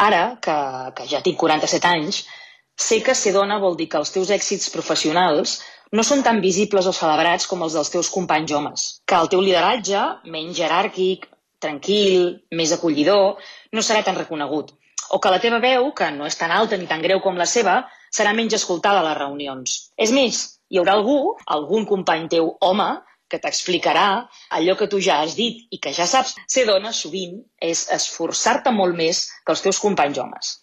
Ara, que ja tinc 47 anys, sé que ser dona vol dir que els teus èxits professionals no són tan visibles o celebrats com els dels teus companys homes, que el teu lideratge, menys jeràrquic, tranquil, més acollidor, no serà tan reconegut, o que la teva veu, que no és tan alta ni tan greu com la seva, serà menys escoltada a les reunions. És més, hi haurà algun company teu home, que t'explicarà allò que tu ja has dit i que ja saps. Ser dona sovint és esforçar-te molt més que els teus companys homes.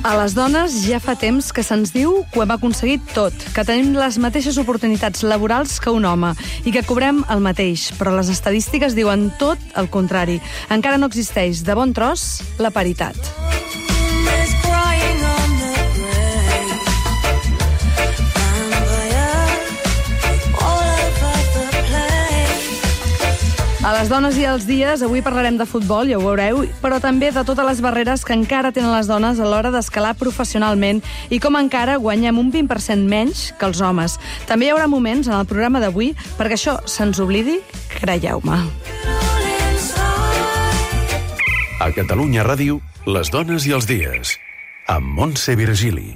A les dones ja fa temps que se'ns diu que ho hem aconseguit tot, que tenim les mateixes oportunitats laborals que un home i que cobrem el mateix, però les estadístiques diuen tot el contrari. Encara no existeix de bon tros la paritat. A les dones i als dies, avui parlarem de futbol, ja ho veureu, però també de totes les barreres que encara tenen les dones a l'hora d'escalar professionalment i com encara guanyem un 20% menys que els homes. També hi haurà moments en el programa d'avui perquè això se'ns oblidi, creieu-me. A Catalunya Ràdio, les dones i els dies, amb Montse Virgili.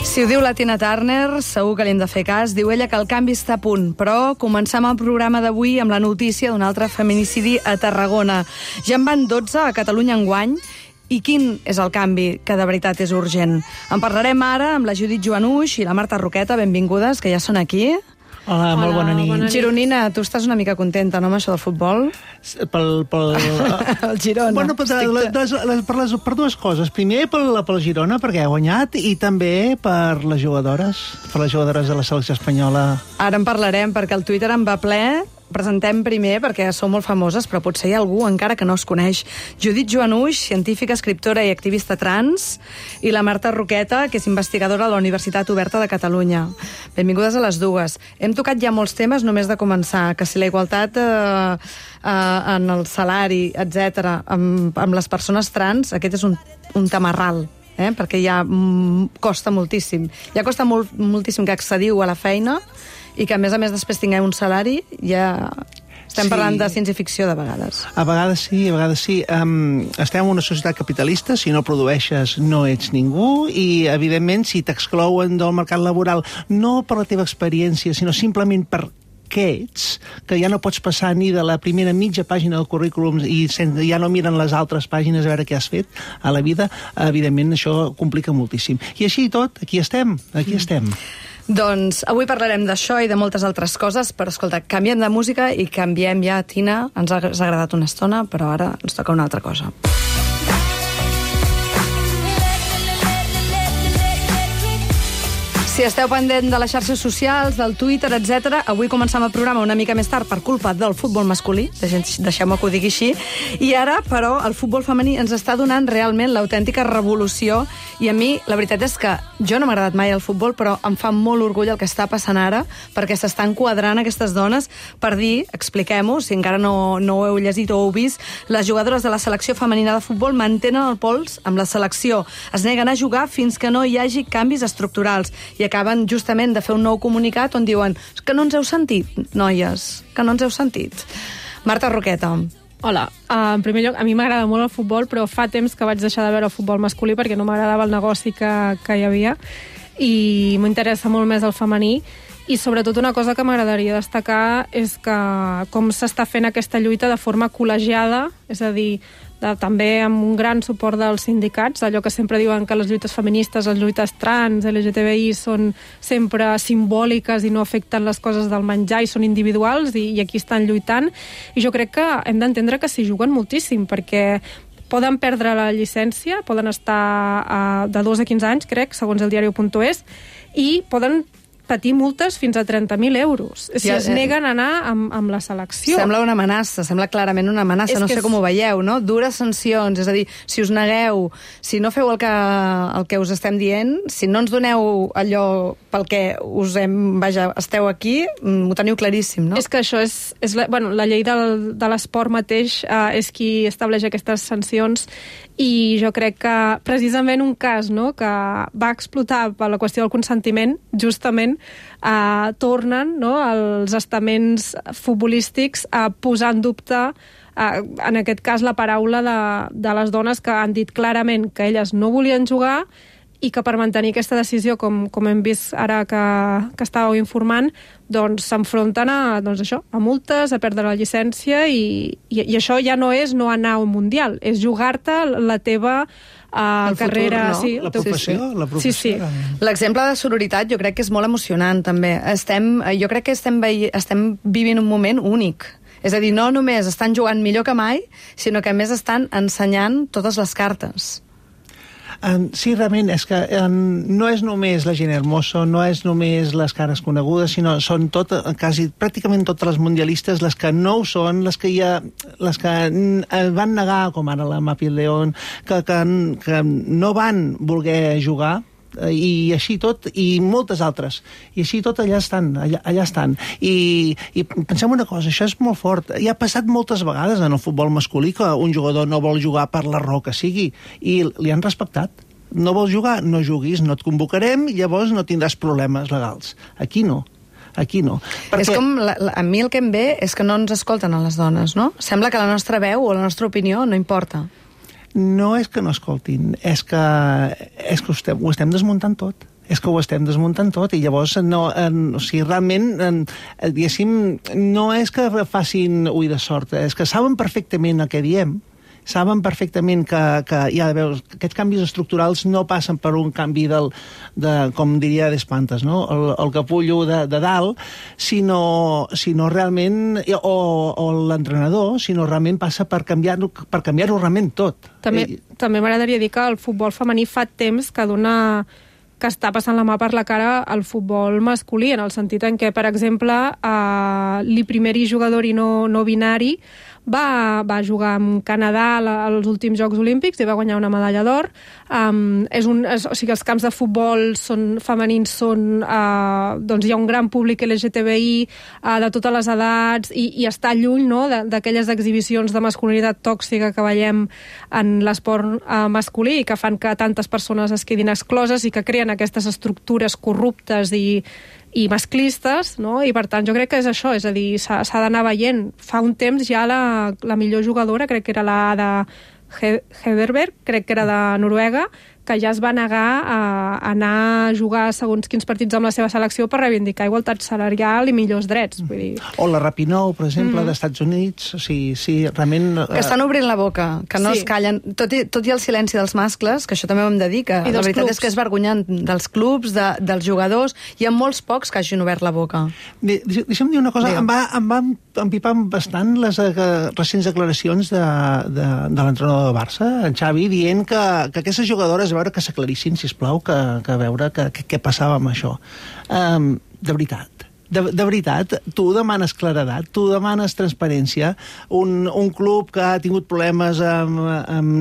Si ho diu la Tina Turner, segur que li hem de fer cas. Diu ella que el canvi està a punt. Però comencem el programa d'avui amb la notícia d'un altre feminicidi a Tarragona. Ja en van 12 a Catalunya enguany. I quin és el canvi que de veritat és urgent? En parlarem ara amb la Judit Joanuix i la Marta Roqueta. Benvingudes, que ja són aquí. Hola, molt bona nit. Gironina, tu estàs una mica contenta, no, amb això del futbol? El Girona. Bueno, per dues coses. Primer, pel Girona, perquè ha guanyat, i també per les jugadores de la selecció espanyola. Ara en parlarem, perquè el Twitter en va ple. Presentem primer, perquè sou molt famoses, però potser hi ha algú encara que no us coneix. Judit Joanuix, científica, escriptora i activista trans, i la Marta Roqueta, que és investigadora a la Universitat Oberta de Catalunya. Benvingudes a les dues. Hem tocat ja molts temes només de començar, que si la igualtat en el salari, etc., amb les persones trans, aquest és un tamarral. Perquè ja costa moltíssim. Ja costa moltíssim que accediu a la feina i que, a més després tingueu un salari, ja estem parlant de ciència-ficció de vegades. A vegades sí, a vegades sí. Estem en una societat capitalista, si no produeixes no ets ningú, i evidentment si t'exclouen del mercat laboral, no per la teva experiència, sinó simplement per què ets, que ja no pots passar ni de la primera mitja pàgina del currículum i ja no miren les altres pàgines a veure què has fet a la vida, evidentment això complica moltíssim. I així i tot, aquí estem. Doncs avui parlarem d'això i de moltes altres coses, però escolta, canviem de música i canviem ja, Tina. Ens ha agradat una estona, però ara ens toca una altra cosa. Si esteu pendent de les xarxes socials, del Twitter, etc., avui començam el programa una mica més tard per culpa del futbol masculí, deixeu-me que ho digui així, i ara, però, el futbol femení ens està donant realment l'autèntica revolució, i a mi, la veritat és que jo no m'ha agradat mai el futbol, però em fa molt orgull el que està passant ara, perquè s'estan quadrant aquestes dones per dir, expliquem-ho, si encara no ho heu llegit o ho heu vist, les jugadores de la selecció femenina de futbol mantenen el pols amb la selecció, es neguen a jugar fins que no hi hagi canvis estructurals, i acaben justament de fer un nou comunicat on diuen que no ens heu sentit, noies, que no ens heu sentit. Marta Roqueta. Hola, en primer lloc, a mi m'agrada molt el futbol, però fa temps que vaig deixar de veure el futbol masculí perquè no m'agradava el negoci que hi havia i m'interessa molt més el femení. I sobretot una cosa que m'agradaria destacar és que com s'està fent aquesta lluita de forma col·legiada, és a dir, també amb un gran suport dels sindicats, allò que sempre diuen que les lluites feministes, les lluites trans, LGTBI són sempre simbòliques i no afecten les coses del menjar i són individuals i aquí estan lluitant. I jo crec que hem d'entendre que s'hi juguen moltíssim, perquè poden perdre la llicència, poden estar de 2 a 15 anys, crec, segons el diario.es, i poden patir multes fins a 30.000 euros si es neguen a anar amb la selecció. Sembla una amenaça, sembla clarament una amenaça, no sé com ho veieu, no? Dures sancions, és a dir, si us negueu, si no feu el que us estem dient, si no ens doneu allò pel que esteu aquí, ho teniu claríssim, no? És que això és la llei de l'esport mateix és qui estableix aquestes sancions i jo crec que precisament un cas que va explotar per la qüestió del consentiment, justament tornen els estaments futbolístics a posar en dubte en aquest cas la paraula de les dones que han dit clarament que elles no volien jugar i que per mantenir aquesta decisió, com hem vist ara que estàveu informant, doncs s'enfronten a multes, a perdre la llicència i això ja no és no anar a un mundial, és jugar-te la teva carrera... Futur, no? La professió. La professió. Sí. L'exemple de sororitat jo crec que és molt emocionant, també. Jo crec que estem vivint un moment únic. És a dir, no només estan jugant millor que mai, sinó que a més estan ensenyant totes les cartes. Sí, realment, és que no és només la gent hermosa, no és només les cares conegudes, sinó són pràcticament totes les mundialistes, les que no ho són, les que van negar, com ara la Mapi León, que no van voler jugar, i així tot, i moltes altres. I així tot allà estan. I pensem una cosa, això és molt fort. Ja ha passat moltes vegades en el futbol masculí que un jugador no vol jugar per la raó que sigui, i li han respectat. No vols jugar? No juguis, no et convocarem, i llavors no tindràs problemes legals. Aquí no. Perquè... És com, a mi el que em ve és que no ens escolten a les dones, no? Sembla que la nostra veu o la nostra opinió no importa. No és que no escoltin, és que ho estem desmuntant tot. És que ho estem desmuntant tot i llavors realment, diguéssim, no és que facin ull de sort, és que saben perfectament el que diem, saben perfectament que aquests canvis estructurals no passen per un canvi com diria d'espantes, no? El capullo de dalt, sinó realment, o l'entrenador, sinó realment passa per canviar-ho realment tot. També m'agradaria dir que el futbol femení fa temps que està passant la mà per la cara al futbol masculí, en el sentit en què, per exemple, l'iprimeri jugador i no binari va jugar amb Canadà als últims Jocs Olímpics i va guanyar una medalla d'or. O sigui, els camps de futbol femenins doncs hi ha un gran públic LGTBI de totes les edats i està lluny d'aquelles exhibicions de masculinitat tòxica que veiem en l'esport masculí i que fan que tantes persones es quedin excloses i que creen aquestes estructures corruptes i masclistes, no? I per tant jo crec que és això, és a dir, s'ha d'anar veient. Fa un temps ja la millor jugadora, crec que era la Ada Hegerberg, crec que era de Noruega, que ja es va negar a anar a jugar segons quins partits amb la seva selecció per reivindicar igualtat salarial i millors drets. Vull dir... O la Rapinoe, per exemple, d'Estats Units. O sigui, sí, realment... Que estan obrint la boca, que no es callen. Tot i el silenci dels mascles, que això també ho hem de dir, que la veritat és que és vergonyant dels clubs, dels jugadors. Hi ha molts pocs que hagin obert la boca. Deixa'm dir una cosa. Em va empipar bastant les recents declaracions de l'entrenador de Barça, en Xavi, dient que aquestes jugadores veure que s'aclarissin, sisplau, que veure què passava amb això. De veritat, tu demanes claredat, tu demanes transparència. Un club que ha tingut problemes amb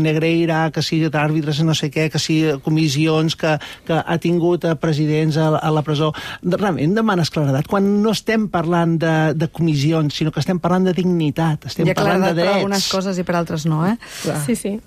Negreira, que sigui d'àrbitres, no sé què, que sigui comissions, que ha tingut presidents a la presó. Realment demanes claredat. Quan no estem parlant de comissions, sinó que estem parlant de dignitat, estem parlant de drets. Per algunes coses i per altres no, eh? Clar. Sí.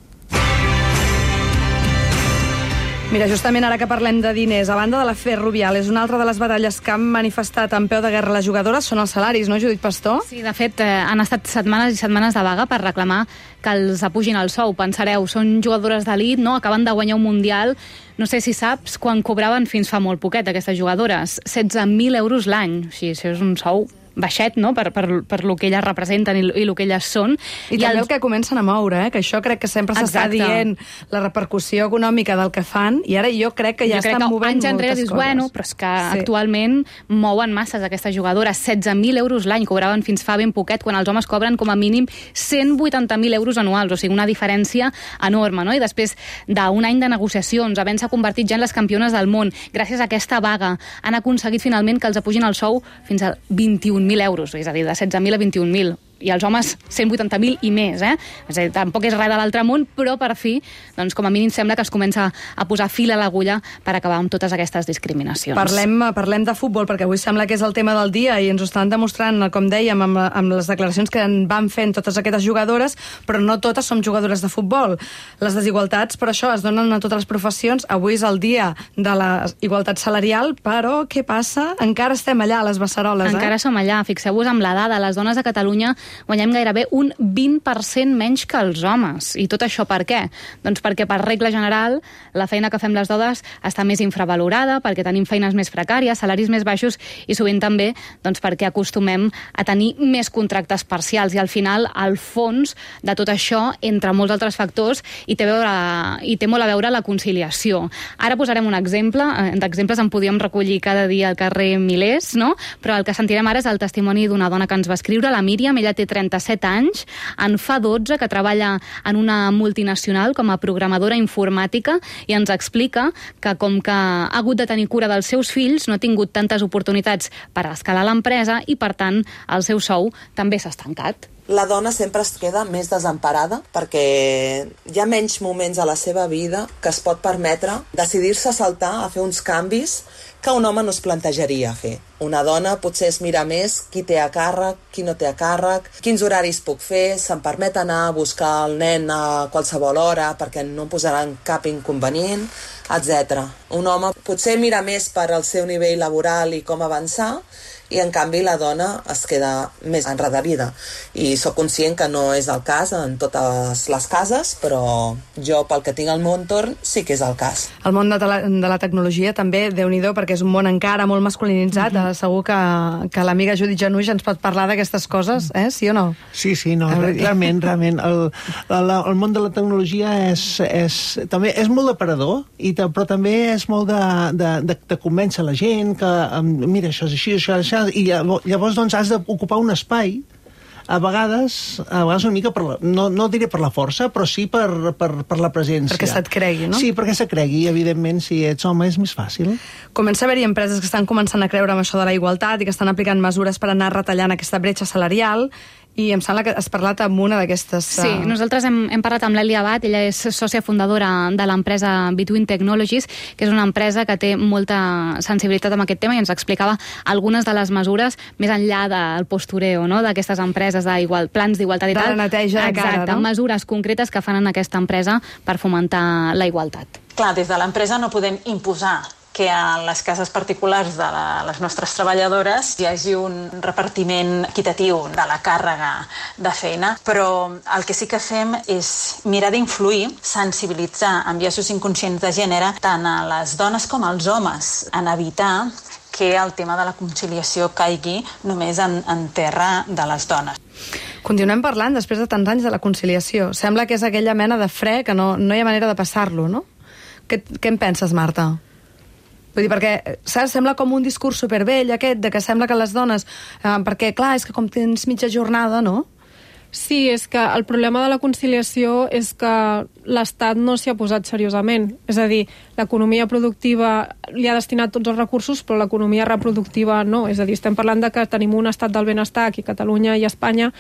Mira, justament ara que parlem de diners, a banda de la Ferrovial, és una altra de les batalles que han manifestat en peu de guerra les jugadores, són els salaris, no, Judit Pastor? Sí, de fet, han estat setmanes i setmanes de vaga per reclamar que els apugin el sou. Pensareu, són jugadores d'elit, no? Acaben de guanyar un Mundial. No sé si saps quan cobraven fins fa molt poquet aquestes jugadores. 16.000 euros l'any. O sigui, això és un sou baixet, no?, per lo que elles representen i lo que elles són. I també el que comencen a moure, que això crec que sempre s'està dient, la repercussió econòmica del que fan, i ara jo crec que ja estan movent moltes coses. Anys enrere dius, bueno, però és que actualment mouen masses aquestes jugadores. 16.000 euros l'any cobraven fins fa ben poquet, quan els homes cobren com a mínim 180.000 euros anuals, o sigui, una diferència enorme, no? I després d'un any de negociacions, havent-se convertit ja en les campiones del món, gràcies a aquesta vaga, han aconseguit finalment que els apugin el sou fins a 21.000 euros, és a dir, de 16.000 a 21.000. I els homes 180.000 i més, És a dir, tampoc és res de l'altre món, però per fi, doncs com a mínim sembla que es comença a posar fil a l'agulla per acabar amb totes aquestes discriminacions. Parlem de futbol, perquè avui sembla que és el tema del dia i ens ho estan demostrant, com dèiem, amb les declaracions que en van fent totes aquestes jugadores, però no totes som jugadores de futbol. Les desigualtats, per això, es donen a totes les professions. Avui és el dia de la igualtat salarial, però què passa? Encara estem allà, a les beceroles, Encara som allà. Fixeu-vos amb la dada. Les dones a Catalunya guanyem gairebé un 20% menys que els homes. I tot això per què? Doncs perquè, per regla general, la feina que fem les dones està més infravalorada, perquè tenim feines més precàries, salaris més baixos i sovint també doncs, perquè acostumem a tenir més contractes parcials. I al final, al fons de tot això, entre molts altres factors, hi té molt a veure la conciliació. Ara posarem un exemple. D'exemples en podíem recollir cada dia al carrer milers, no? Però el que sentirem ara és el testimoni d'una dona que ens va escriure, la Míriam. Ella té 37 anys, en fa 12 que treballa en una multinacional com a programadora informàtica i ens explica que com que ha hagut de tenir cura dels seus fills, no ha tingut tantes oportunitats per escalar l'empresa i, per tant, el seu sou també s'ha estancat. La dona sempre es queda més desemparada perquè hi ha menys moments a la seva vida que es pot permetre decidir-se a saltar a fer uns canvis que un home no es plantejaria fer. Una dona potser es mira més qui té a càrrec, qui no té a càrrec, quins horaris puc fer, se'm permet anar a buscar el nen a qualsevol hora perquè no em posaran cap inconvenient, etc. Un home potser mira més per al seu nivell laboral i com avançar, i en canvi la dona es queda més enredarida. I sóc conscient que no és el cas en totes les cases, però jo, pel que tinc al meu entorn, sí que és el cas. El món de la tecnologia també, Déu-n'hi-do, perquè és un món encara molt masculinitzat. Segur que l'amiga Judit Januix ens pot parlar d'aquestes coses, sí o no? Sí, no, realment. El món de la tecnologia també és molt d'aparador, però també és molt de convèncer la gent que, mira, això és així, això és això, i llavors doncs has d'ocupar un espai a vegades una mica no diré per la força, però sí per la presència. Perquè se't cregui, no? Sí, perquè se't cregui, evidentment, si ets home és més fàcil. Comença a haver-hi empreses que estan començant a creure amb això de la igualtat i que estan aplicant mesures per anar retallant aquesta bretxa salarial, i em sembla que has parlat amb una d'aquestes... Sí, nosaltres hem parlat amb l'Èlia Abad, ella és sòcia fundadora de l'empresa Between Technologies, que és una empresa que té molta sensibilitat amb aquest tema i ens explicava algunes de les mesures més enllà del postureo, no?, d'aquestes empreses, plans d'igualtat i tal. De la neteja de cara, no? Mesures concretes que fan en aquesta empresa per fomentar la igualtat. Clar, des de l'empresa no podem imposar que a les cases particulars de les nostres treballadores hi hagi un repartiment equitatiu de la càrrega de feina, però el que sí que fem és mirar d'influir, sensibilitzar amb biaixos inconscients de gènere tant a les dones com als homes, en evitar que el tema de la conciliació caigui només en terra de les dones. Continuem parlant, després de tants anys, de la conciliació. Sembla que és aquella mena de fre que no hi ha manera de passar-lo, no? Què en penses, Marta? Vull dir, perquè sembla com un discurs supervell aquest, de que sembla que les dones... perquè, clar, és que com tens mitja jornada, no? Sí, és que el problema de la conciliació és que l'Estat no s'hi ha posat seriosament. És a dir, l'economia productiva li ha destinat tots els recursos, però l'economia reproductiva no. És a dir, estem parlant de que tenim un estat del benestar aquí a Catalunya i a Espanya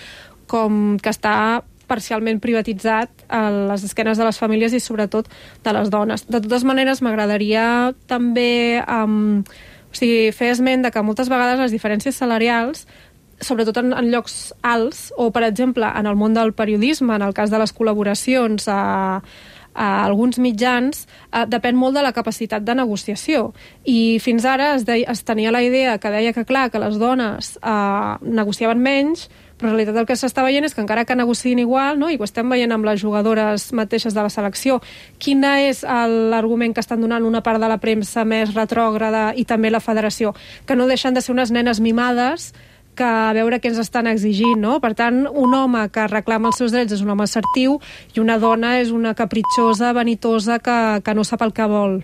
com que està parcialment privatitzat a les esquenes de les famílies i sobretot de les dones. De totes maneres, m'agradaria també fer esment de que moltes vegades les diferències salarials, sobretot en llocs alts, o per exemple en el món del periodisme, en el cas de les col·laboracions a alguns mitjans, depèn molt de la capacitat de negociació. I fins ara es tenia la idea que deia que, clar, que les dones negociaven menys, però en realitat el que s'està veient és que encara que negociïn igual, no? I ho estem veient amb les jugadores mateixes de la selecció, quin és l'argument que estan donant una part de la premsa més retrògrada i també la federació? Que no deixen de ser unes nenes mimades que a veure què ens estan exigint, no? Per tant, un home que reclama els seus drets és un home assertiu i una dona és una capritxosa, vanitosa, que no sap el que vol.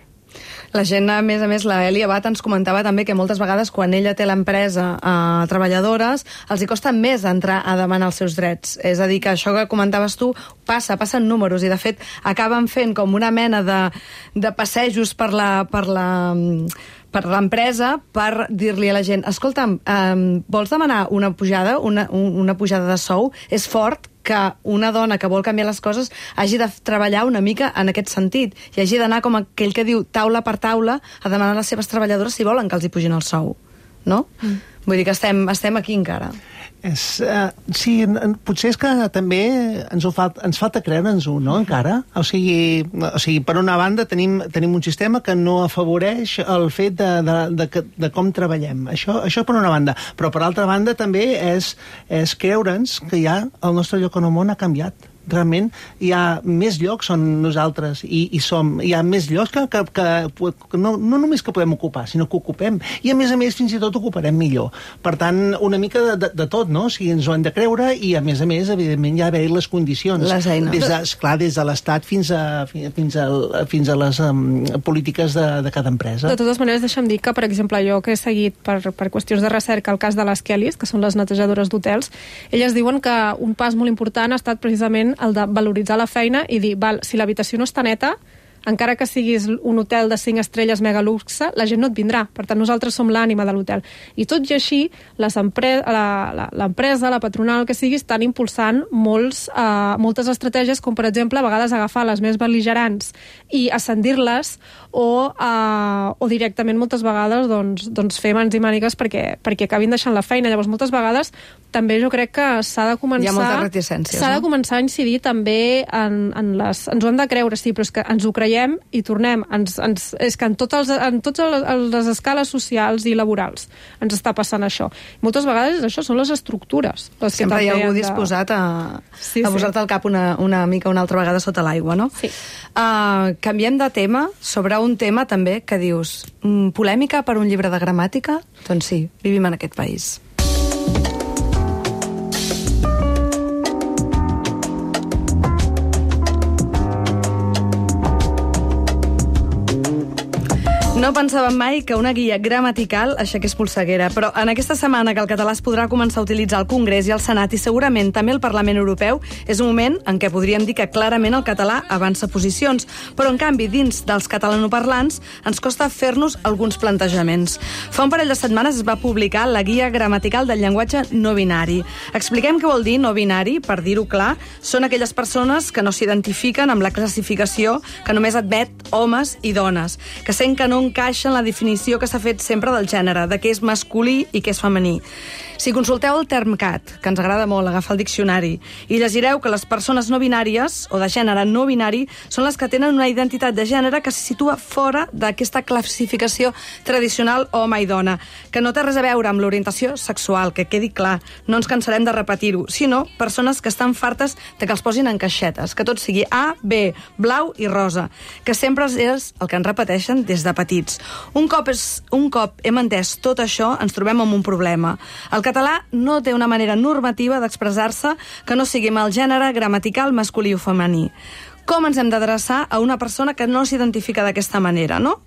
La gent, a més, la Eli Abad ens comentava també que moltes vegades quan ella té l'empresa a treballadores els hi costa més entrar a demanar els seus drets. És a dir, que això que comentaves tu passen números i de fet acaben fent com una mena de passejos per l'empresa per dir-li a la gent, escolta'm, vols demanar una pujada, una pujada de sou? És fort que una dona que vol canviar les coses hagi de treballar una mica en aquest sentit i hagi d'anar com aquell que diu taula per taula a demanar a les seves treballadores si volen que els hi pugin el sou, no? Vull dir que estem aquí encara. Sí, potser és que també ens falta creure'ns-ho, no, encara? O sigui, per una banda tenim un sistema que no afavoreix el fet de com treballem. Això per una banda. Però per altra banda també és creure'ns que ja el nostre lloc en el món ha canviat. Realment hi ha més llocs on nosaltres hi ha més llocs que no només que podem ocupar, sinó que ocupem. I a més fins i tot ocuparem millor. Per tant, una mica de tot, no? O sigui, ens ho hem de creure i a més, evidentment, hi ha d'haver les condicions. Les eines. Des de l'Estat fins a les polítiques de cada empresa. De totes maneres, deixa'm dir que, per exemple, jo que he seguit per qüestions de recerca el cas de les Kellys, que són les netejadores d'hotels, elles diuen que un pas molt important ha estat precisament el de valoritzar la feina i dir, si l'habitació no està neta, encara que siguis un hotel de 5 estrelles mega luxe, la gent no et vindrà. Per tant, nosaltres som l'ànima de l'hotel. I tot i així, l'empresa, la patronal, el que sigui, estan impulsant moltes estratègies, com per exemple, a vegades agafar les més bel·ligerants i ascendir-les o directament moltes vegades doncs fer mans i mànigues perquè acabin deixant la feina. Llavors, moltes vegades també jo crec que s'ha de començar... Hi ha moltes reticències, s'ha de començar a incidir també en les... Ens ho hem de creure, sí, però és que ens ho creiem i tornem. És que en totes les escales socials i laborals ens està passant això. Moltes vegades això són les estructures. Sempre hi ha algú disposat a posar-te al cap una mica una altra vegada sota l'aigua, no? Sí. Canviem de tema sobre un tema també que dius polèmica per un llibre de gramàtica? Doncs sí, vivim en aquest país. No pensàvem mai que una guia gramatical aixequés polseguera, però en aquesta setmana que el català es podrà començar a utilitzar al Congrés i al Senat i segurament també al Parlament Europeu, és un moment en què podríem dir que clarament el català avança posicions, però en canvi dins dels catalanoparlants ens costa fer-nos alguns plantejaments. Fa un parell de setmanes es va publicar la guia gramatical del llenguatge no binari. Expliquem què vol dir no binari, per dir-ho clar, són aquelles persones que no s'identifiquen amb la classificació que només admet homes i dones, que sent que no encaixa en la definició que s'ha fet sempre del gènere, de què és masculí i què és femení. Si consulteu el Termcat, que ens agrada molt agafar el diccionari, i llegireu que les persones no binàries, o de gènere no binari, són les que tenen una identitat de gènere que se situa fora d'aquesta classificació tradicional home i dona, que no té res a veure amb l'orientació sexual, que quedi clar, no ens cansarem de repetir-ho, sinó persones que estan fartes de que els posin en caixetes, que tot sigui A, B, blau i rosa, que sempre és el que ens repeteixen des de petits. Un cop hem entès tot això, ens trobem amb un problema. El català no té una manera normativa d'expressar-se que no sigui amb el gènere gramatical masculí o femení. Com ens hem d'adreçar a una persona que no s'identifica d'aquesta manera, no?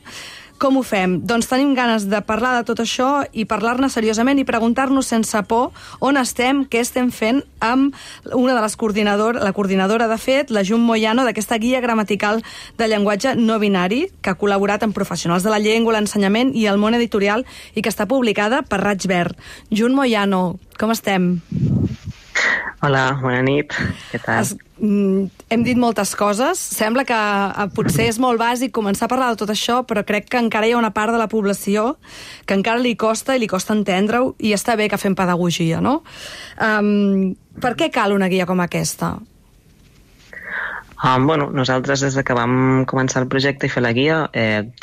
Com ho fem? Doncs tenim ganes de parlar de tot això i parlar-ne seriosament i preguntar-nos sense por on estem, què estem fent amb una de les la coordinadora, de fet, la Jun Moyano, d'aquesta guia gramatical de llenguatge no binari, que ha col·laborat amb professionals de la llengua, l'ensenyament i el món editorial i que està publicada per Raig Verd. Jun Moyano, com estem? Hola, bona nit. Què tal? Hem dit moltes coses. Sembla que potser és molt bàsic començar a parlar de tot això, però crec que encara hi ha una part de la població que encara li costa entendre-ho, i està bé que fem pedagogia, no? Per què cal una guia com aquesta? Nosaltres des que vam començar el projecte i fer la guia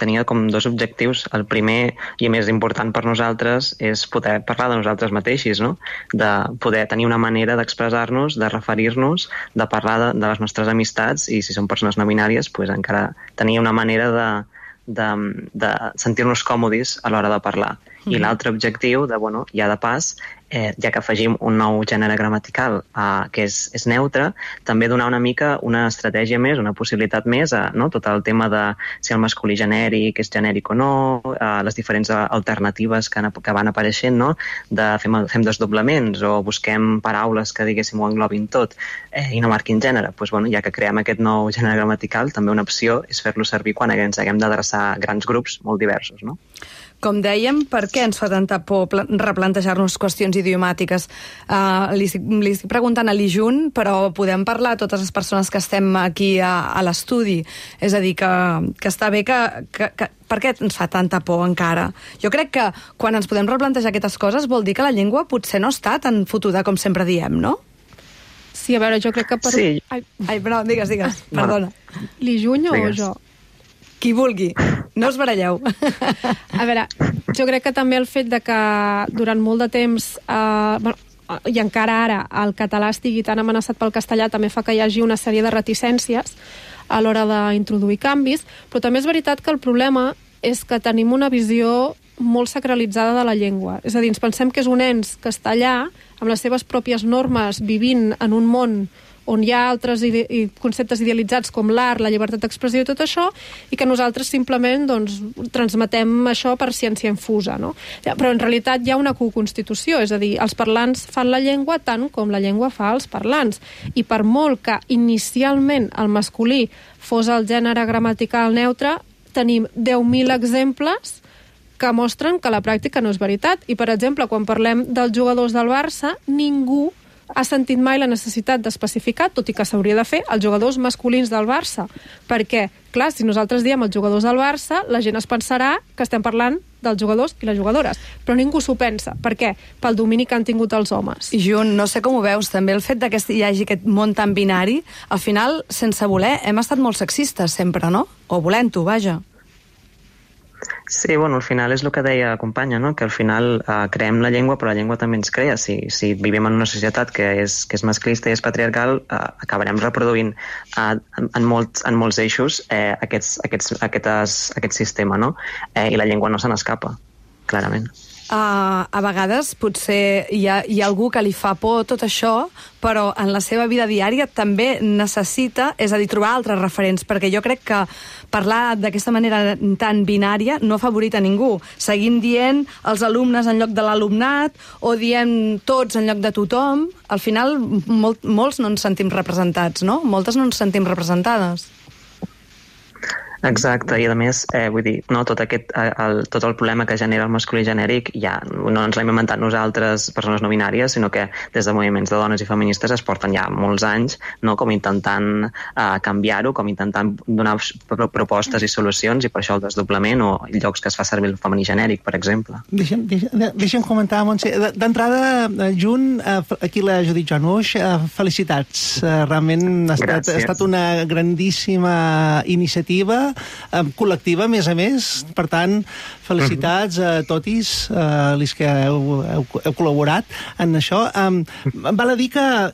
tenia com dos objectius. El primer i més important per nosaltres és poder parlar de nosaltres mateixos, no? De poder tenir una manera d'expressar-nos, de referir-nos, de parlar de les nostres amistats, i si són persones no binàries, pues encara tenir una manera de sentir-nos còmodes a l'hora de parlar. I l'altre objectiu, ja de pas, ja que afegim un nou gènere gramatical que és neutre, també donar una mica una estratègia més, una possibilitat més a tot el tema de si el masculí genèric és genèric o no, les diferents alternatives que van apareixent, de fem desdoblaments o busquem paraules que diguéssim ho englobin tot i no marquin gènere. Ja que creem aquest nou gènere gramatical, també una opció és fer-lo servir quan ens haguem d'adreçar a grans grups molt diversos, no? Com dèiem, per què ens fa tanta por replantejar-nos qüestions idiomàtiques? Li estic preguntant a l'Ijun, però podem parlar a totes les persones que estem aquí a l'estudi. És a dir, que està bé que per què ens fa tanta por encara? Jo crec que quan ens podem replantejar aquestes coses vol dir que la llengua potser no està tan fotuda com sempre diem, no? Sí, a veure, jo crec que... Sí. Ai, però digues, perdona. L'Ijun o jo? Qui vulgui, no us baralleu. A veure, jo crec que també el fet de que durant molt de temps, i encara ara, el català estigui tan amenaçat pel castellà també fa que hi hagi una sèrie de reticències a l'hora d'introduir canvis, però també és veritat que el problema és que tenim una visió molt sacralitzada de la llengua. És a dir, ens pensem que és un ens castellà, amb les seves pròpies normes, vivint en un món on hi ha altres conceptes idealitzats com l'art, la llibertat d'expressió i tot això, i que nosaltres simplement transmetem això per ciència infusa, no? Però en realitat hi ha una coconstitució, és a dir, els parlants fan la llengua tant com la llengua fa els parlants, i per molt que inicialment el masculí fos el gènere gramatical neutre, tenim 10.000 exemples que mostren que la pràctica no és veritat. I, per exemple, quan parlem dels jugadors del Barça, ningú ha sentit mai la necessitat d'especificar, tot i que s'hauria de fer, els jugadors masculins del Barça. Perquè, clar, si nosaltres diem els jugadors del Barça, la gent es pensarà que estem parlant dels jugadors i les jugadores. Però ningú s'ho pensa. Per què? Pel domini que han tingut els homes. I Jun, no sé com ho veus, també el fet que hi hagi aquest món tan binari, al final, sense voler, hem estat molt sexistes sempre, no? O volent-ho, vaja. Sí, al final és el que deia la companya, no? Que al final creem la llengua, però la llengua també ens crea. Si vivim en una societat que és masclista i és patriarcal, acabarem reproduint en molts eixos aquest sistema, no? I la llengua no se n'escapa, clarament. A vegades potser hi ha algú que li fa por tot això, però en la seva vida diària també necessita, és a dir, trobar altres referents, perquè jo crec que parlar d'aquesta manera tan binària no ha favorit a ningú. Seguim dient els alumnes en lloc de l'alumnat, o diem tots en lloc de tothom. Al final, molts no ens sentim representats, no? Moltes no ens sentim representades. Exacte, i a més, vull dir, tot el problema que genera el masculí genèric ja no ens l'hem inventat nosaltres, persones no binàries, sinó que des de moviments de dones i feministes es porten ja molts anys, com intentant canviar-ho, com intentant donar propostes i solucions, i per això el desdoblament o llocs que es fa servir el femení genèric, per exemple. Deixa'm comentar, Montse. D'entrada, Jun, aquí la Judit Januix, felicitats. Realment ha estat una grandíssima iniciativa col·lectiva, a més. Per tant, felicitats a totis, els que heu col·laborat en això. Val a dir que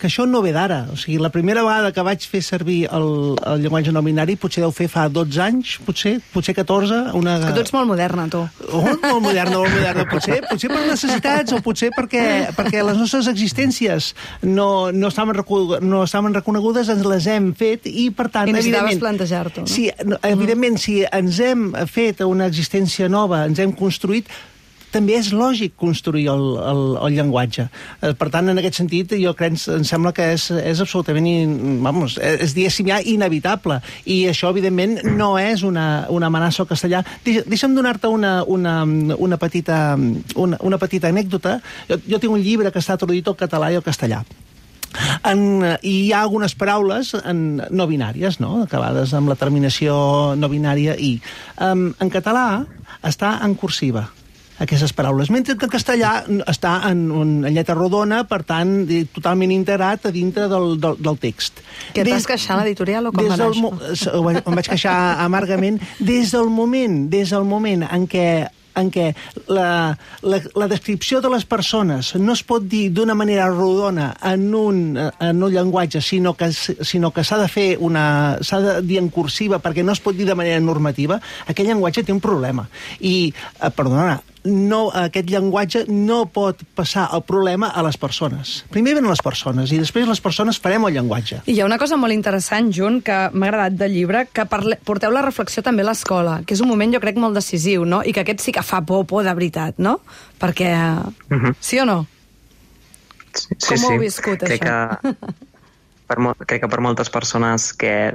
això no ve d'ara. O sigui, la primera vegada que vaig fer servir el llenguatge no binari potser deu fer fa 12 anys, potser 14. És que tu ets molt moderna, tu. Molt moderna. Potser per necessitats o potser perquè les nostres existències no estaven reconegudes, ens les hem fet i, per tant, i necessitaves plantejar-t'ho, no? Sí, evidentment, si ens hem fet una existència nova, ens hem construït, també és lògic construir el llenguatge. Per tant, en aquest sentit, jo crec, em sembla que és absolutament, és diguéssim ja inevitable. I això, evidentment, no és una amenaça al castellà. Deixa'm donar-te una petita anècdota. Jo tinc un llibre que està traduït al català i al castellà. I hi ha algunes paraules no binàries, no? Acabades amb la terminació no binària i. En català està en cursiva, aquestes paraules, mentre que en castellà està en lletra rodona, per tant, totalment integrat a dintre del text. Que et vas queixar a l'editorial o com va anar això? Em vaig queixar amargament. Des del moment en què en què la descripció de les persones no es pot dir d'una manera rodona en un llenguatge, sinó que s'ha de dir en cursiva perquè no es pot dir de manera normativa, aquest llenguatge té un problema. I, perdona, aquest llenguatge no pot passar el problema a les persones. Primer venen les persones i després les persones farem el llenguatge. I hi ha una cosa molt interessant, Jun, que m'ha agradat del llibre, que porteu la reflexió també a l'escola, que és un moment, jo crec, molt decisiu, no? I que aquest sí que fa por de veritat, no? Perquè... Sí o no? Sí. Com ho heu viscut, això? Crec que per moltes persones que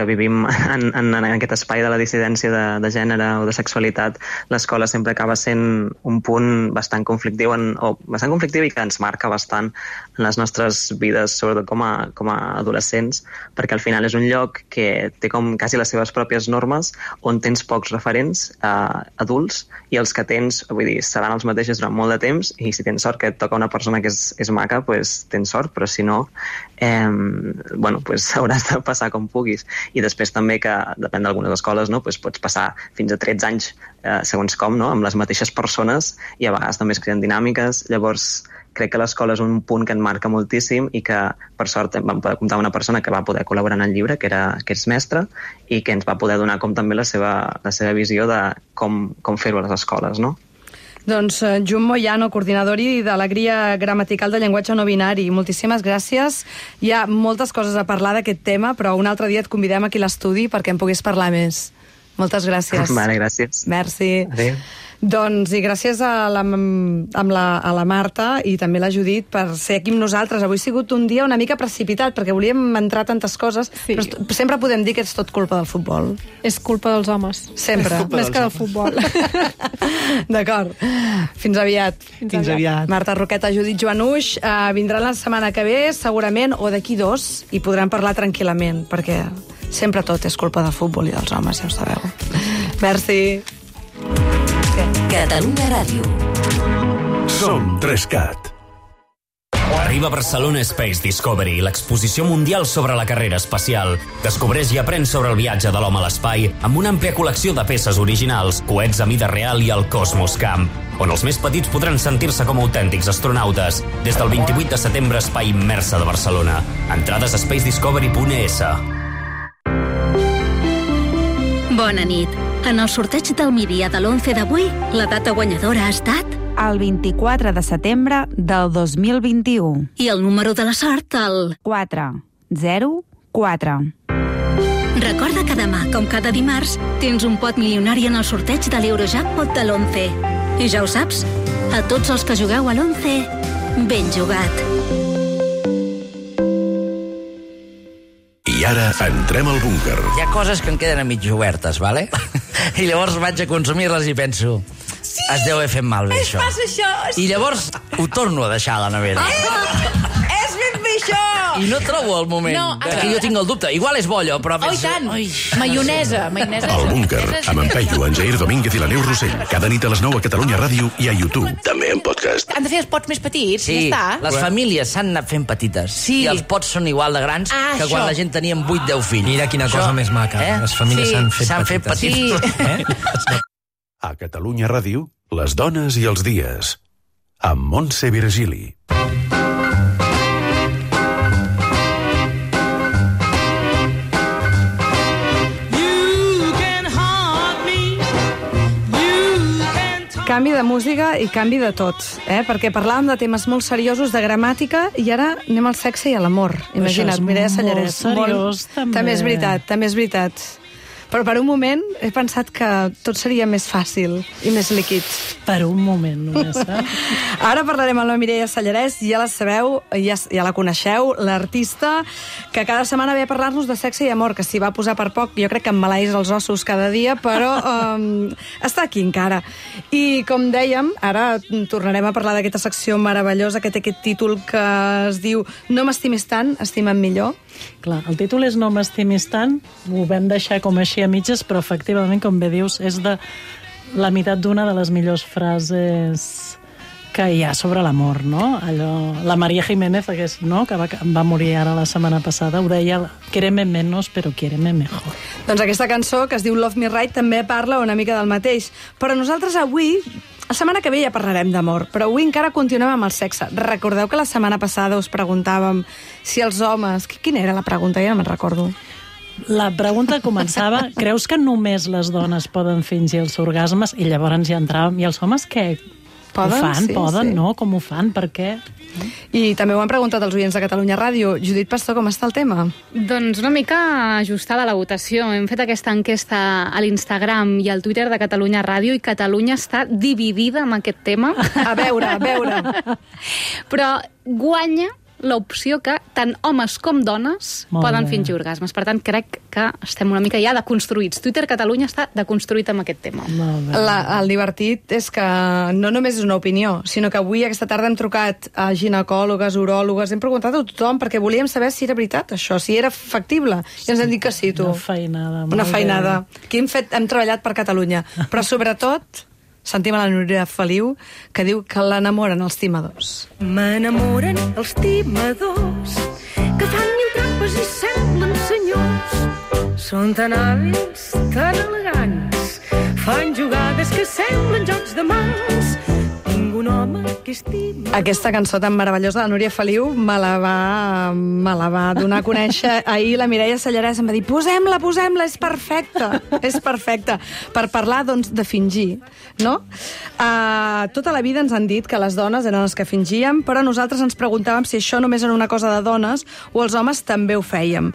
vivim en aquest espai de la dissidència de gènere o de sexualitat, l'escola sempre acaba sent un punt bastant conflictiu i que ens marca bastant en les nostres vides, sobretot com a adolescents, perquè al final és un lloc que té com quasi les seves pròpies normes, on tens pocs referents adults, i els que tens, vull dir, seran els mateixos durant molt de temps, i si tens sort que et toca una persona que és maca, doncs tens sort, però si no... hauràs de passar com puguis. I després també que, depèn d'algunes escoles, pots passar fins a 13 anys segons com, amb les mateixes persones, i a vegades també es creen dinàmiques. Llavors crec que l'escola és un punt que en marca moltíssim i que, per sort, vam poder comptar una persona que va poder col·laborar en el llibre, que és mestra, i que ens va poder donar com també la seva visió de com fer-ho a les escoles, no? Doncs Jun Moyano, coordinador d'Alegria Gramatical de Llenguatge No Binari, moltíssimes gràcies. Hi ha moltes coses a parlar d'aquest tema, però un altre dia et convidem aquí a l'estudi perquè en puguis parlar més. Moltes gràcies. Vale, gràcies. Merci. Adéu. Doncs, i gràcies a la Marta i també a la Judit per ser aquí amb nosaltres. Avui ha sigut un dia una mica precipitat, perquè volíem entrar tantes coses, però sempre podem dir que és tot culpa del futbol. És culpa dels homes. Sempre. Més que del futbol. D'acord. Fins aviat. Fins aviat. Marta Roqueta, Judit Joanuix, vindran la setmana que ve, segurament, o d'aquí 2, i podran parlar tranquil·lament, perquè sempre tot és culpa del futbol i dels homes, ja ho sabeu. Merci. Catalunya Ràdio. Som 3CAT. Arriba a Barcelona Space Discovery, l'exposició mundial sobre la carrera espacial. Descobreix i aprèn sobre el viatge de l'home a l'espai amb una àmplia col·lecció de peces originals, coets a mida real i el Cosmos Camp, on els més petits podran sentir-se com autèntics astronautes. Des del 28 de setembre, Espai Immersa de Barcelona. Entrades a spacediscovery.es. Bona nit. En el sorteig del Mídia de l'11 d'avui, la data guanyadora ha estat... El 24 de setembre del 2021. I el número de la sort, el... 404. Recorda que demà, com cada dimarts, tens un pot milionari en el sorteig de l'Eurojackpot de l'11. I ja ho saps, a tots els que jugueu a l'11, ben jugat. I ara entrem al búnquer. Hi ha coses que em queden a mig obertes, vale? I llavors vaig a consumir-les i penso... Sí, es deu haver fet malbé, això. Passa això. I llavors ho torno a deixar a la nevera. És ben bé això. I no trobo el moment. No, que jo tinc el dubte. Igual és bo allò, però... Oh, i tant. Maionesa. El búnquer, amb en Peyu, en Jair Domínguez i la Neus Rossell. Cada nit a les 9 a Catalunya Ràdio i a YouTube. També en podcast. Han de fer els pots més petits, sí, ja està. Les famílies s'han anat fent petites. Sí. I els pots són igual de grans que quan la gent teníem 8-10 fills. Mira quina cosa més maca. Les famílies s'han fet petites. Sí. A Catalunya Ràdio, les dones i els dies. Amb Montse Virgili. Canvi de música i canvi de tot, perquè parlàvem de temes molt seriosos, de gramàtica, i ara anem al sexe i a l'amor. Imagina't, Mireia Sallarès. Molt seriós, també. També és veritat. Però per un moment he pensat que tot seria més fàcil i més líquid. Per un moment, només. Ara parlarem amb la Mireia Sallarès, ja la sabeu, ja la coneixeu, l'artista que cada setmana ve a parlar-nos de sexe i amor, que s'hi va posar per poc, jo crec que em maleís els ossos cada dia, però està aquí encara. I com dèiem, ara tornarem a parlar d'aquesta secció meravellosa que té aquest títol que es diu No m'estimis tant, estima't millor. Clar, el títol és No m'estimis tant, ho vam deixar com així a mitges, però efectivament, com bé dius, és de la meitat d'una de les millors frases que hi ha sobre l'amor, no? Allò, la María Jiménez, no? que va morir ara la setmana passada, ho deia, quéreme menos, però quéreme mejor. Doncs aquesta cançó, que es diu Love Me Right, també parla una mica del mateix. Però nosaltres avui, la setmana que ve ja parlarem d'amor, però avui encara continuem amb el sexe. Recordeu que la setmana passada us preguntàvem si els homes... Quina era la pregunta? Ja no me'n recordo. La pregunta començava, creus que només les dones poden fingir els orgasmes? I llavors ja entràvem, i els homes què? Poden? Ho fan? Sí, poden? sí. No? Com ho fan? Per què? I també ho han preguntat els oients de Catalunya Ràdio. Judit Pastor, com està el tema? Doncs una mica ajustada a la votació. Hem fet aquesta enquesta a l'Instagram i al Twitter de Catalunya Ràdio i Catalunya està dividida amb aquest tema. A veure. Però guanya l'opció que tant homes com dones poden fingir orgasmes. Per tant, crec que estem una mica ja deconstruïts. Twitter Catalunya està deconstruït amb aquest tema. El divertit és que no només és una opinió, sinó que avui, aquesta tarda, hem trucat a ginecòlogues, uròlogues, hem preguntat a tothom perquè volíem saber si era veritat això, si era factible. I ens han dit que sí, tu. Una feinada. Aquí hem treballat per Catalunya. Però sobretot sentim a la Núria Feliu, que diu que l'enamoren els timadors. M'enamoren els timadors, que fan mil trampes i semblen senyors. Són tan hàbils, tan elegants, fan jugades que semblen jocs de mans. Tinc un home que estima... Aquesta cançó tan meravellosa de la Núria Feliu me la va donar a conèixer ahir la Mireia Sallarès. Em va dir, posem-la, és perfecta. Per parlar, doncs, de fingir, no? Tota la vida ens han dit que les dones eren les que fingíem, però nosaltres ens preguntàvem si això només era una cosa de dones o els homes també ho fèiem.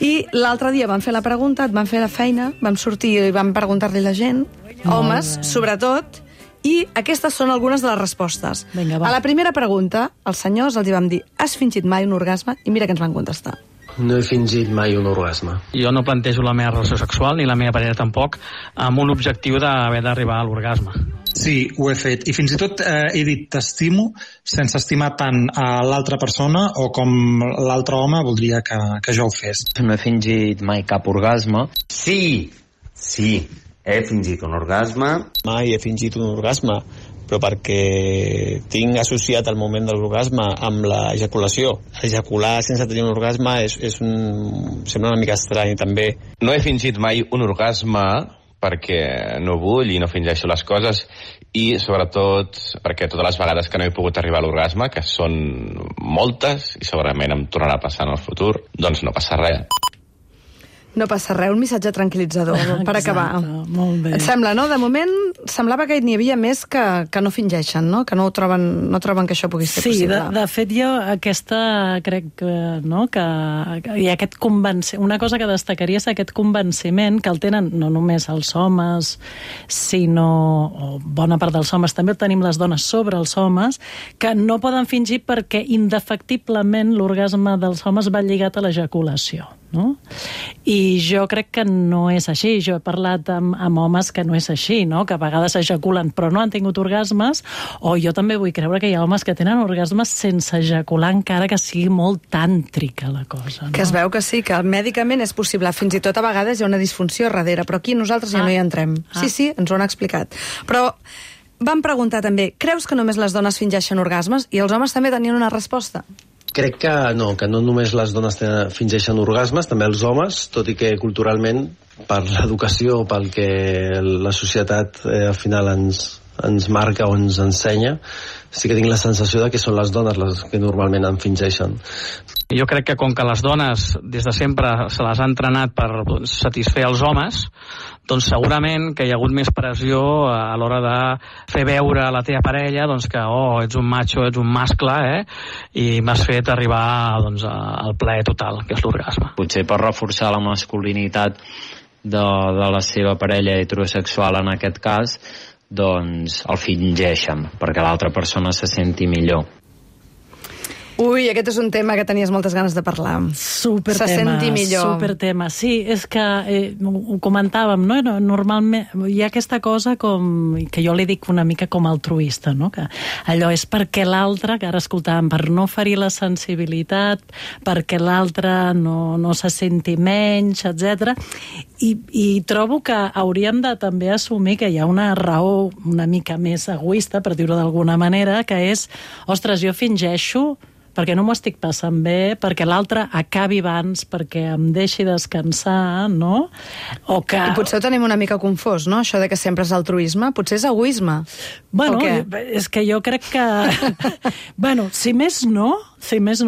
I l'altre dia vam fer la pregunta, et vam fer la feina, vam sortir i vam preguntar-li a la gent, homes, sobretot, i aquestes són algunes de les respostes. Vinga, va. A la primera pregunta, els senyors els hi vam dir, has fingit mai un orgasme? I mira què ens van contestar. No he fingit mai un orgasme. Jo no plantejo la meva relació sexual, ni la meva parella tampoc, amb un objectiu d'haver d'arribar a l'orgasme. Sí, ho he fet. I fins i tot he dit t'estimo sense estimar tant a l'altra persona o com l'altre home voldria que jo ho fes. No he fingit mai cap orgasme. Sí. He fingit un orgasme. Mai he fingit un orgasme, però perquè tinc associat el moment de l'orgasme amb l'ejaculació. Ejacular sense tenir un orgasme sembla una mica estrany, també. No he fingit mai un orgasme perquè no vull i no fingeixo les coses, i sobretot perquè totes les vegades que no he pogut arribar a l'orgasme, que són moltes i segurament em tornarà a passar en el futur, doncs no passa res. No passa res, un missatge tranquil·litzador per acabar. Molt bé. Et sembla, no? De moment semblava que n'hi havia més que no fingeixen, no? Que no troben que això pugui ser possible. Sí, de fet jo aquesta crec que, no, que hi ha aquest convenciment, una cosa que destacaria és aquest convenciment que el tenen no només els homes, sinó o bona part dels homes, també el tenim les dones sobre els homes, que no poden fingir perquè indefectiblement l'orgasme dels homes va lligat a l'ejaculació. No? I jo crec que no és així. Jo he parlat amb homes que no és així, no? Que a vegades ejaculen però no han tingut orgasmes, o jo també vull creure que hi ha homes que tenen orgasmes sense ejacular, encara que sigui molt tàntrica la cosa, no? Que es veu que sí, que mèdicament és possible, fins i tot a vegades hi ha una disfunció darrere, però aquí nosaltres ja no hi entrem. Sí, ens ho han explicat. Però vam preguntar també, creus que només les dones fingeixen orgasmes? I els homes també tenien una resposta. Crec que no només les dones fingeixen orgasmes, també els homes, tot i que culturalment, per l'educació, pel que la societat al final ens marca o ens ensenya, sí que tinc la sensació de que són les dones les que normalment en fingeixen. Jo crec que com que les dones des de sempre se les ha entrenat per satisfer els homes, doncs segurament que hi ha hagut més pressió a l'hora de fer veure a la teva parella doncs que ets un macho, ets un mascle, i m'has fet arribar doncs, al plaer total, que és l'orgasme. Potser per reforçar la masculinitat de la seva parella heterosexual en aquest cas, doncs el fingeixen perquè l'altra persona se senti millor. Ui, aquest és un tema que tenies moltes ganes de parlar. Supertema. Se senti millor. Supertema. Sí, és que ho comentàvem, no? Normalment hi ha aquesta cosa com, que jo li dic una mica com altruista, no? Que allò és perquè l'altre, que ara escoltàvem, per no ferir la sensibilitat, perquè l'altre no se senti menys, etc. I trobo que hauríem de també assumir que hi ha una raó una mica més egoista, per dir-ho d'alguna manera, que és, ostres, jo fingeixo perquè no m'ho estic passant bé, perquè l'altre acabi abans, perquè em deixi descansar, no? O que... I potser ho tenim una mica confós, no? Això de que sempre és altruisme, potser és egoisme. Bueno, és que jo crec que... bueno, si més no,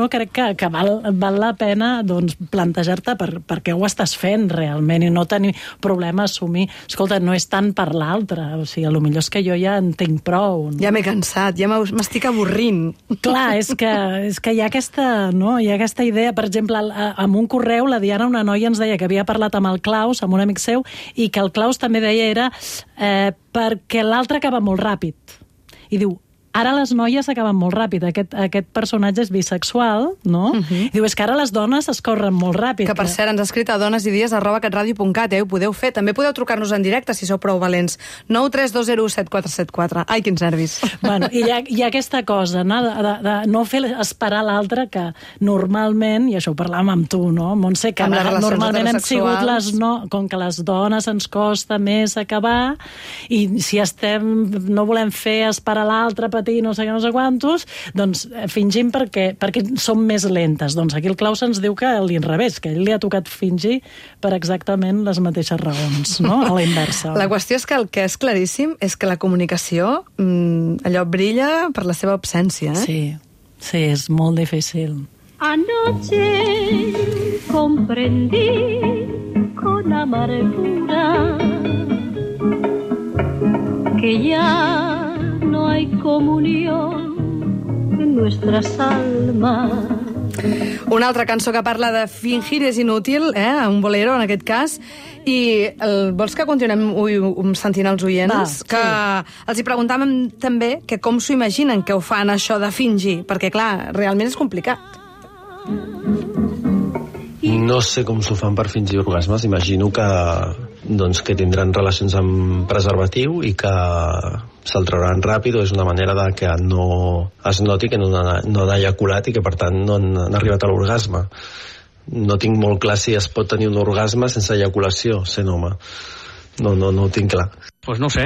crec que val la pena doncs, plantejar-te per què ho estàs fent realment i no tenir problema a assumir. Escolta, no és tant per l'altre, o sigui, potser és que jo ja en tinc prou. No? Ja m'he cansat, ja m'estic avorrint. Clar, és que hi ha aquesta, no? Hi ha aquesta idea, per exemple, amb un correu la Diana, una noia, ens deia que havia parlat amb el Claus, amb un amic seu, i que el Claus també deia era perquè l'altre acaba molt ràpid. I diu, ara les noies acaben molt ràpid. Aquest personatge és bisexual, no? I diu, és que ara les dones es corren molt ràpid. Que, per cert, ens ha escrit a donesidies@catradio.cat, ho podeu fer. També podeu trucar-nos en directe, si sou prou valents. 932017474. Ai, quins nervis. Bueno, i hi ha aquesta cosa, no? De no fer esperar l'altre, que normalment, i això ho parlàvem amb tu, no, Montse, que normalment hem sigut com que les dones ens costa més acabar, i si no volem fer esperar l'altre, no sé què, no sé quantos, doncs fingim perquè som més lentes. Doncs aquí el Claus ens diu que a l'inrevés, que ell li ha tocat fingir per exactament les mateixes raons, no? A la inversa. La qüestió és que el que és claríssim és que la comunicació allò brilla per la seva absència, eh? Sí, és molt difícil. Anoche comprendí con amargura que ya no hay comunión en nuestras almas. Una altra cançó que parla de fingir és inútil, un bolero en aquest cas, i vols que continuem sentint els oients? Que els hi preguntàvem també que com s'ho imaginen que ho fan això de fingir, perquè clar, realment és complicat. No sé com s'ho fan per fingir orgasmes, imagino que tindran relacions amb preservatiu i que se'l trauran ràpid, o és una manera de que no es noti que no han ejaculat i que per tant no han arribat a l'orgasme. No tinc molt clar si es pot tenir un orgasme sense ejaculació, sent home. No ho tinc clar. Pues no sé,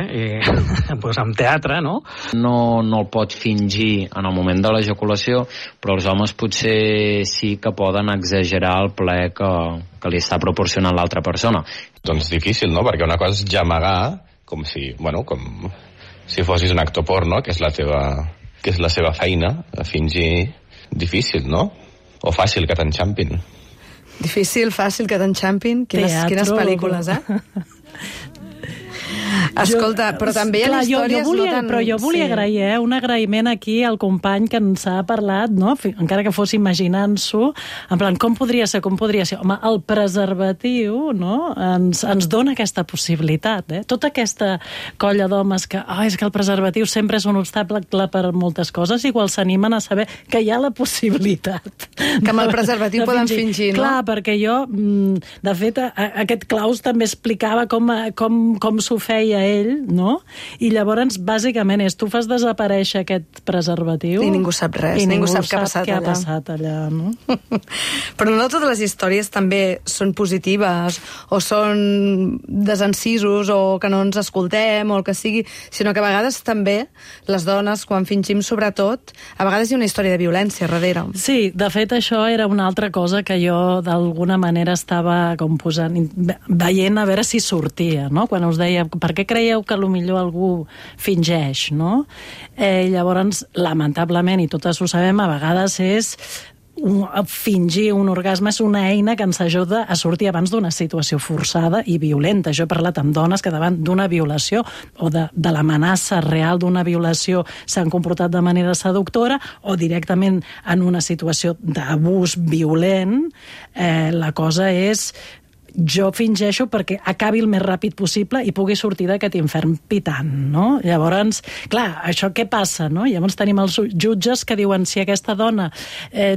pues amb teatre, no? No el pot fingir en el moment de l'ejaculació, però els homes potser sí que poden exagerar el plaer que li està proporcionant l'altra persona. Doncs difícil, no? Perquè una cosa és gemegar, com si fossis un actor porno, que és la seva feina, a fingir. Difícil, no? O fàcil que t'enxampin. Difícil, fàcil que t'enxampin? Quines pel·lícules, Escolta, però també hi ha històries no tan... Però jo volia agrair, un agraïment aquí al company que ens ha parlat, no? Encara que fos imaginant-s'ho, en plan, com podria ser? Home, el preservatiu, no? Ens dona aquesta possibilitat, Tota aquesta colla d'homes que, és que el preservatiu sempre és un obstacle per moltes coses, igual s'animen a saber que hi ha la possibilitat. Que amb el preservatiu poden fingir, no? Clar, perquè jo, de fet, aquest Claus també explicava com s'ho feia ell, no? I llavors, bàsicament, tu fas desaparèixer aquest preservatiu... I ningú sap res, ningú sap què ha passat allà, no? Però no totes les històries també són positives, o són desencisos, o que no ens escoltem, o el que sigui, sinó que a vegades també, les dones, quan fingim sobretot, a vegades hi ha una història de violència darrere. Sí, de fet, això era una altra cosa que jo, d'alguna manera, estava veient a veure si sortia, no? Quan us deia, per què creieu que potser algú fingeix, no? Llavors, lamentablement, i totes ho sabem, a vegades és fingir un orgasme és una eina que ens ajuda a sortir abans d'una situació forçada i violenta. Jo he parlat amb dones que davant d'una violació o de l'amenaça real d'una violació s'han comportat de manera seductora o directament en una situació d'abús violent. La cosa és jo fingeixo perquè acabi el més ràpid possible i pugui sortir d'aquest infern pitant, no? Llavors, clar, això què passa, no? Llavors tenim els jutges que diuen si aquesta dona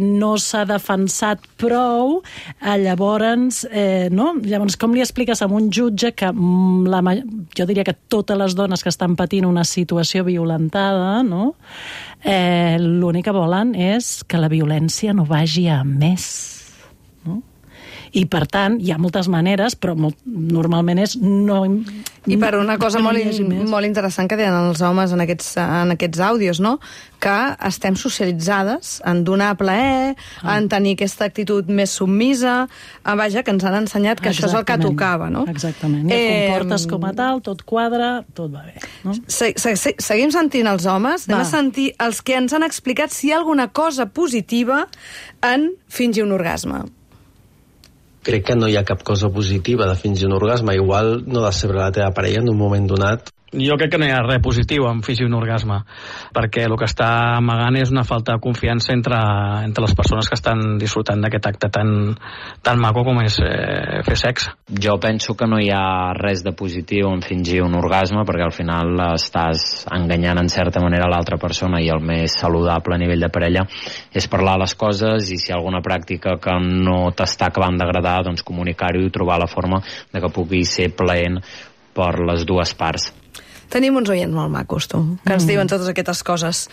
no s'ha defensat prou, llavors, no? Llavors, com li expliques a un jutge que jo diria que totes les dones que estan patint una situació violentada, no? L'únic que volen és que la violència no vagi a més, no? I, per tant, hi ha moltes maneres, però normalment és no... I per una cosa molt interessant que tenen els homes en aquests àudios, no? Que estem socialitzades en donar plaer, en tenir aquesta actitud més submisa, vaja, que ens han ensenyat que això és el que tocava, no? Exactament. I et comportes com a tal, tot quadra, tot va bé, no? Seguim sentint els homes, anem a sentir els que ens han explicat si hi ha alguna cosa positiva en fingir un orgasme. Crec que no hi ha cap cosa positiva de fingir un orgasme. Igual no decebre la teva parella en un moment donat. Jo crec que no hi ha res positiu en fingir un orgasme, perquè el que està amagant és una falta de confiança entre les persones que estan disfrutant d'aquest acte tan maco com és fer sexe. Jo penso que no hi ha res de positiu en fingir un orgasme, perquè al final estàs enganyant en certa manera l'altra persona, i el més saludable a nivell de parella és parlar les coses, i si hi ha alguna pràctica que no t'està acabant d'agradar, doncs comunicar-ho i trobar la forma de que pugui ser plaent per les dues parts. Tenim uns oients molt macos, tu, que ens diuen totes aquestes coses.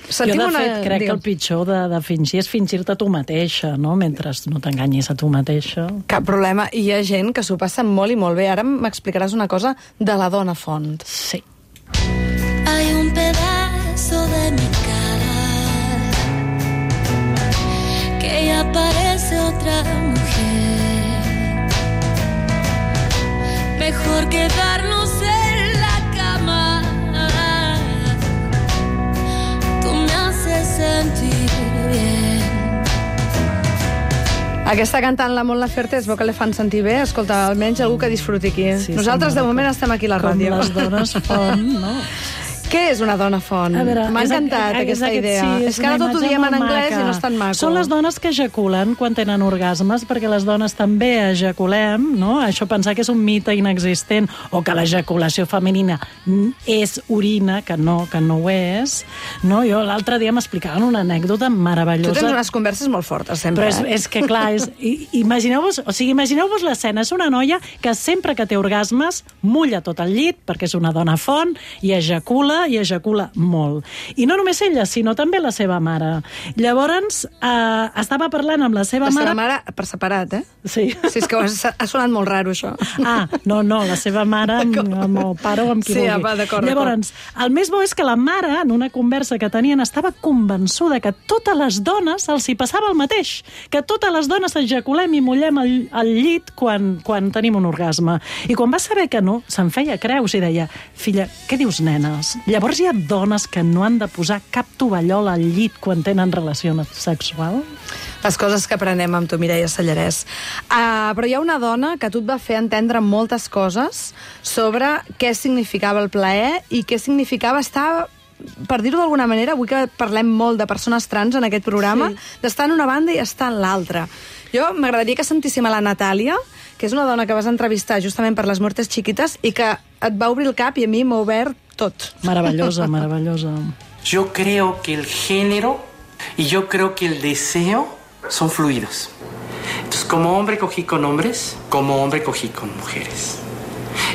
Jo, de fet, crec que el pitjor de fingir és fingir-te tu mateixa, no? Mentre no t'enganyis a tu mateixa. Cap problema. I hi ha gent que s'ho passa molt i molt bé. Ara m'explicaràs una cosa de la dona font. Sí. Hay un pedazo de mi cara que ya parece otra mujer. Mejor quedarnos en la cama. Tú me haces sentir bien. Aquesta cantant la Mon Laferte es veu que li fan sentir bé. Escolta, almenys algú que disfruti aquí. Sí, nosaltres, de moment, estem aquí a la ràdio. Com les dones font, no? Què és una dona font? M'ha encantat aquesta idea. Sí, és que ara tot ho diem en anglès i no és tan maco. Són les dones que ejaculen quan tenen orgasmes, perquè les dones també ejaculem, no? Això pensar que és un mite inexistent, o que l'ejaculació femenina és orina, que no ho és, no? Jo l'altre dia m'explicaven una anècdota meravellosa. Tu tens unes converses molt fortes, sempre. Però és que, clar, imagineu-vos l'escena. És una noia que sempre que té orgasmes mulla tot el llit, perquè és una dona font, i ejacula molt. I no només ella, sinó també la seva mare. Llavors, estava parlant amb la seva mare... La seva mare per separat, eh? Sí. Sí, és que ha sonat molt raro, això. No, la seva mare amb el pare o amb qui vulgui. Sí, d'acord. Llavors, el més bo és que la mare, en una conversa que tenien, estava convençuda que totes les dones els hi passava el mateix, que totes les dones ejaculem i mullem el llit quan tenim un orgasme. I quan va saber que no, se'n feia creus i deia: filla, què dius, nenes? Llavors hi ha dones que no han de posar cap tovallol al llit quan tenen relació sexual? Les coses que aprenem amb tu, Mireia Sallarès. Però hi ha una dona que tu et va fer entendre moltes coses sobre què significava el plaer i què significava estar, per dir-ho d'alguna manera, avui que parlem molt de persones trans en aquest programa, d'estar en una banda i estar en l'altra. Jo m'agradaria que sentíssim a la Natàlia, que és una dona que vas entrevistar justament per Les Muertes Chiquitas i que et va obrir el cap i a mi m'ha obert tot. Maravillosa. Yo creo que el género y yo creo que el deseo son fluidos. Entonces, como hombre cogí con hombres, como hombre cogí con mujeres.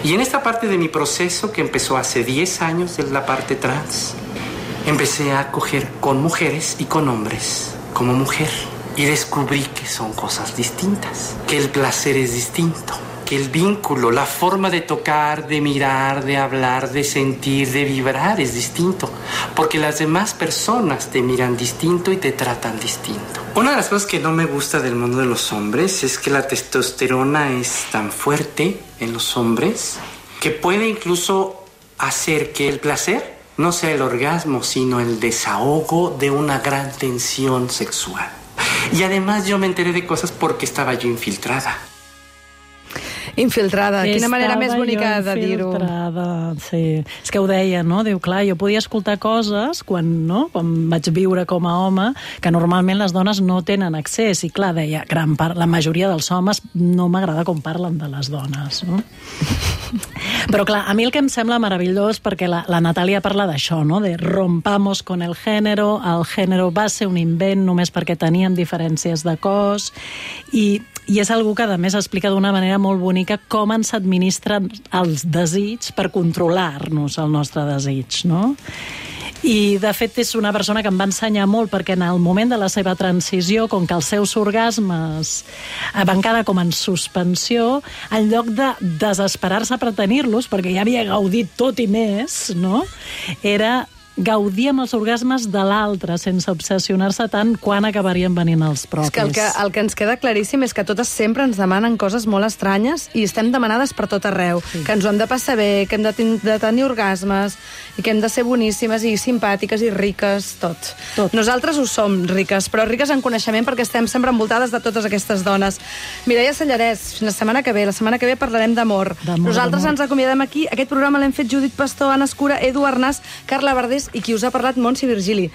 Y en esta parte de mi proceso, que empezó hace 10 años, en la parte trans, empecé a coger con mujeres y con hombres como mujer. Y descubrí que son cosas distintas, que el placer es distinto, que el vínculo, la forma de tocar, de mirar, de hablar, de sentir, de vibrar es distinto, porque las demás personas te miran distinto y te tratan distinto. Una de las cosas que no me gusta del mundo de los hombres es que la testosterona es tan fuerte en los hombres que puede incluso hacer que el placer no sea el orgasmo, sino el desahogo de una gran tensión sexual. Y además yo me enteré de cosas porque estaba yo infiltrada. Infiltrada. Quina manera més bonica de dir-ho. Infiltrada, sí. És que ho deia, no? Diu, clar, jo podia escoltar coses quan vaig viure com a home que normalment les dones no tenen accés. I clar, deia, la majoria dels homes no m'agrada com parlen de les dones, no? Però clar, a mi el que em sembla meravellós, perquè la Natàlia parla d'això, no? De rompamos con el género va ser un invent només perquè teníem diferències de cos, i és algú que a més explica d'una manera molt bonica com ens administren els desigs per controlar-nos el nostre desig, no? I de fet és una persona que em va ensenyar molt, perquè en el moment de la seva transició, com que els seus orgasmes van quedar com en suspensió, en lloc de desesperar-se per tenir-los, perquè ja havia gaudit tot i més, no? Era gaudir amb els orgasmes de l'altre, sense obsessionar-se tant quan acabarien venint els propis. És que el que ens queda claríssim és que totes sempre ens demanen coses molt estranyes i estem demanades per tot arreu. Sí. Que ens ho hem de passar bé, que hem de tenir orgasmes, i que hem de ser boníssimes i simpàtiques i riques, tot. Nosaltres ho som, riques, però riques en coneixement perquè estem sempre envoltades de totes aquestes dones. Mireia Sallarès, fins la setmana que ve. La setmana que ve parlarem d'amor. Nosaltres ens acomiadem aquí. Aquest programa l'hem fet Judit Pastor, Anna Escura, Edu Arnàs, Carla Verdés i qui us ha parlat, Montse Virgili.